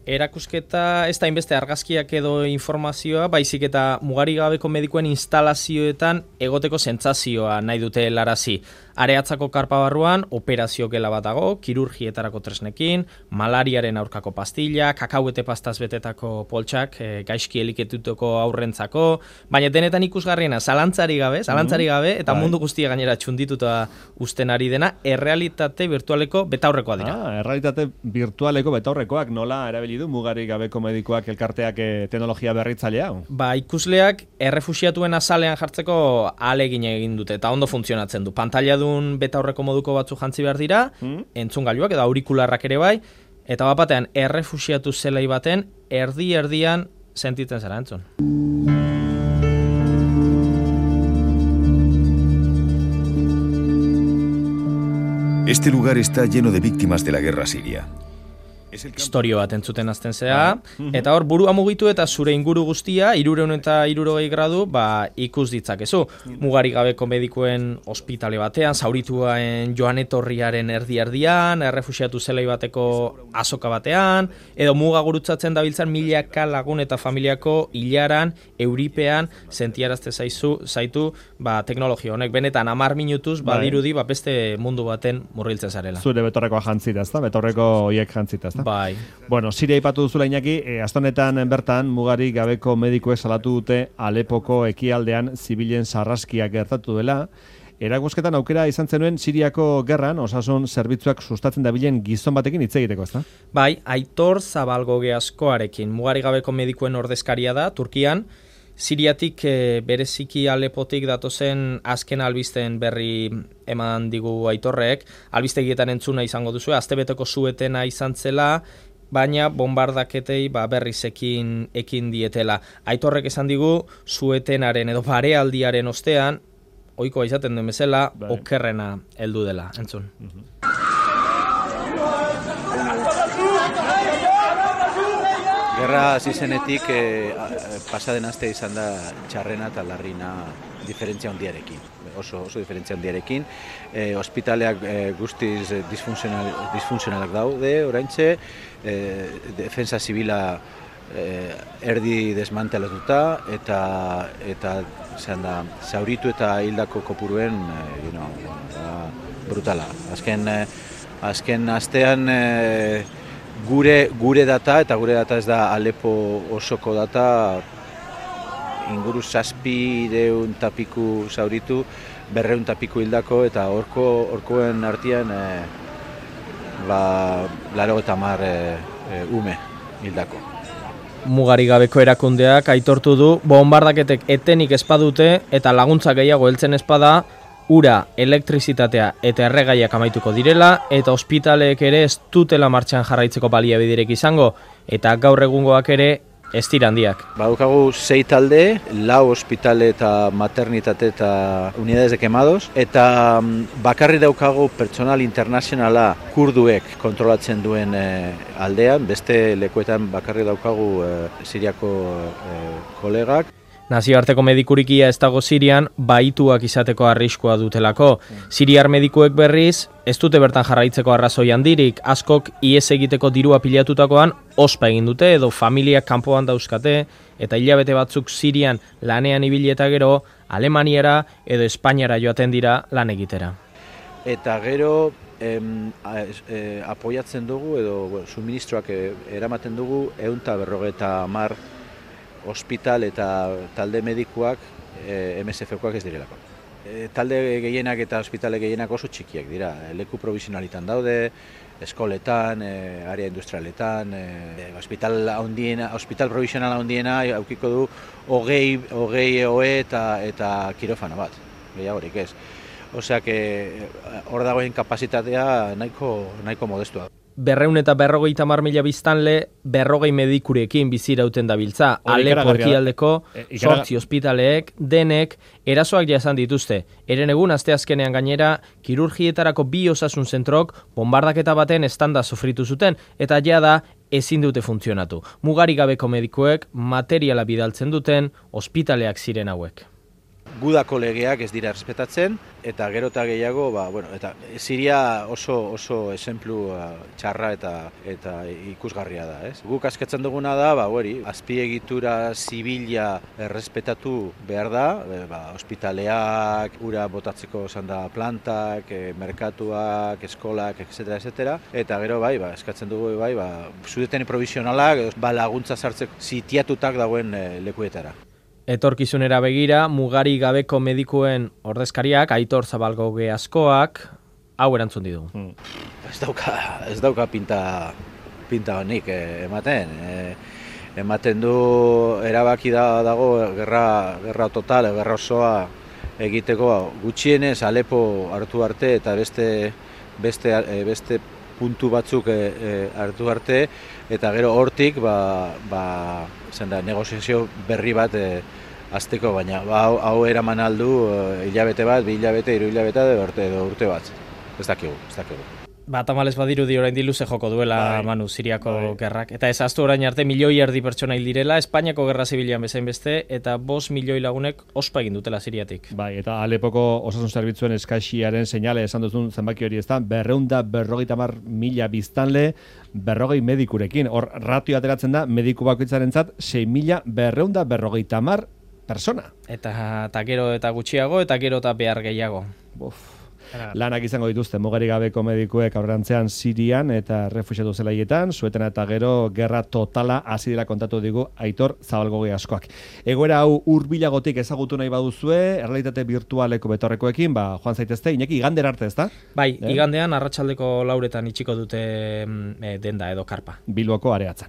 erakusketa ez da inbeste argazkiak edo informazioa, baizik eta mugarik gabeko medikuen instalazioetan egoteko sentsazioa nahi dute helarazi. Areatzako karpa barruan operazio gela bat dago, kirurgietarako tresnekin, malariaren aurkako pastilla, kakauete pastaz betetako poltsak, gaizki eliketutako aurrentzako, baina denetan ikusgarriena zalantzari gabe, eta mundu guztia gainera txundituta uzten ari dena, errealitate virtualeko betaurrekoa dira. Errealitate virtualeko betaurrekoak nola erabili du mugarik gabeko medikuak elkarteak teknologia berritzailea? Ikusleak errefuxiatuen azalean jartzeko ahalegin egin dute, eta ondo funtzionatzen du. Pantailadun betaurreko moduko batzu jantzi behar dira, entzungailuak edo aurikularrak ere bai, eta bapatean errefuxiatu zelai baten erdian sentitzen zara entzun. Este lugar está lleno de víctimas de la guerra siria. Historio bat entzuten azten zea, eta hor burua mugitu eta zure inguru guztia 360 gradu ikus ditzakezu. Mugarik gabeko medikuen ospitale batean, zaurituen joan etorriaren erdian, errefuxiatu zelai bateko azoka batean, edo muga gurutzatzen dabiltzan milaka lagun eta familiako hilaran, euripean, sentiarazte zaitu teknologia honek. Benetan 10 minutuz dirudi beste mundu baten murriltzen zarela. Zure betorrekoa jantzita, ezta? Betorreko hoiek jantzita, ezta? Bai. Bueno, Siria aipatu duzula Iñaki, astonetan bertan mugarik gabeko medikuek salatu dute Alepoko ekialdean zibilen sarraskiak gertatu dela. Erakusketan aukera izan zenuen Siriako gerran osasun zerbitzuak sustatzen dabilen gizon batekin hitz egiteko, ezta? Bai, Aitor Zabalgoge askoarekin, mugarik gabeko medikuen ordezkaria da Turkian. Siriatik bereziki Alepotik datozen azken albisten berri eman digu Aitorrek, albistegietan entzuna izango duzu, astebeteko suetena izan zela, baina bombardaketei berriz ekin dietela. Aitorrek esan digu suetenaren edo barealdiaren ostean, ohikoa izaten den bezala, okerrena heldu dela, entzun. Gerra hasi zenetik pasaden aste izan da txarrena eta larrina diferentzia handiarekin. Oso diferentzia handiarekin. Ospitaleak guztiz disfuntzionalak daude oraintxe, defensa zibila erdi desmantelatuta eta zauritu eta hildako kopuruen brutala. Azken astean gure data, eta gure data ez da Alepo osoko data, inguru 700 eta piku zauritu, 200 eta piku hildako, eta horkoen artean 80 ume hildako. Mugarik gabeko erakundeak aitortu du, bombardaketek etenik espadute eta laguntza gehiago heltzen espada, ura, elektrizitatea eta erregaiak amaituko direla, eta ospitaleek ere ez dutela martxan jarraitzeko baliabiderik izango, eta gaur egungoak ere ez dira handiak. Badukagu 6 talde, 4 ospitale eta maternitate eta unidades de quemados, eta bakarri daukagu pertsonal internazionala kurduek kontrolatzen duen aldean, beste lekuetan bakarri daukagu Siriako kolegak. Nazioarteko medikurikia ez dago Sirian, baituak izateko arriskua dutelako. Siriar medikuek berriz, ez dute bertan jarraitzeko arrazoi handirik, askok ihes egiteko dirua pilatutakoan ospa egin dute edo familiak kanpoan dauzkate, eta hilabete batzuk Sirian lanean ibili eta gero, Alemaniara edo Espainiara joaten dira lan egitera. Eta gero apoiatzen dugu edo suministroak eramaten dugu 150 ospital eta talde medikuak MSF-koak ez direlako. Talde gehienak eta ospitale gehienak oso txikiak dira. Leku provisionalitan daude, eskoletan, area industrialetan, ospital provisional handiena aukiko du 20 OE eta kirofano bat, gehiagorik ez. Osea, hor dagoen kapazitatea nahiko modestua. 250.000 biztanle 40 medikurekin bizirauten dabiltza. Alepo ekialdeko 8 ospitaleek denek erasoak jasan dituzte. Eren egun asteazkenean gainera kirurgietarako 2 osasun zentrok bombardaketa baten estanda sufritu zuten eta jada ezin dute funtzionatu. Mugarik gabeko medikuek materiala bidaltzen duten ospitaleak ziren hauek. gudako legeak ez dira errespetatzen, eta gero eta gehiago, eta Siria oso esenplu txarra eta ikusgarria da, ez? Guk askatzen duguna da, azpiegitura zibila errespetatu behar da, ospitaleak, ura botatzeko zanda plantak, merkatuak, eskolak, etc. Eta gero eskatzen dugu zudeten provisionalak, laguntza sartzeko sitiatutak dagoen lekuetara. Etorkizunera begira, mugari gabeko medikuen ordezkariak, Aitor Zabalgoge askoak, hau erantzun didu. Ez dauka pinta honik ematen. Ematen du erabaki dago gerra total, gerra osoa egiteko gutxienez Alepo hartu arte eta beste puntu batzuk hartu arte, eta gero hortik negoziazio berri bat azteko, baina hau eraman aldu hilabete bat, 2 hilabete, 3 hilabete edo urte bat. Ez dakigu. Tamalez badirudi orain luze joko duela Manu Siriako gerrak. Eta ez ahaztu orain arte 1,5 milioi pertsona hil direla, Espainiako gerra zibilean bezain beste, eta 5 milioi lagunek ospa egin dutela Siriatik. Eta Alepoko osasun zerbitzuen eskaxiaren seinale esan duzun zenbaki hori ez da, 250.000 biztanle, 40 medikurekin. Hor ratio ateratzen da, mediku bakoitzarentzat 6.250 persona. Eta gero eta gutxiago, eta gero eta behar gehiago. Lanak izango dituzte mugari gabeko medikuek aurrerantzean Sirian eta refuxiatu zelaietan, Suetena eta gero gerra totala hasi dela kontatu digu Aitor Zabalgoge askoak. Egoera hau hurbilagotik ezagutu nahi baduzue, errealitate virtualeko betorrekoekin, joan zaitezte, Iñaki, igandera arte, ezta? Igandean arratsaldeko 4 itxiko dute denda edo karpa. Bilboko Areatzan.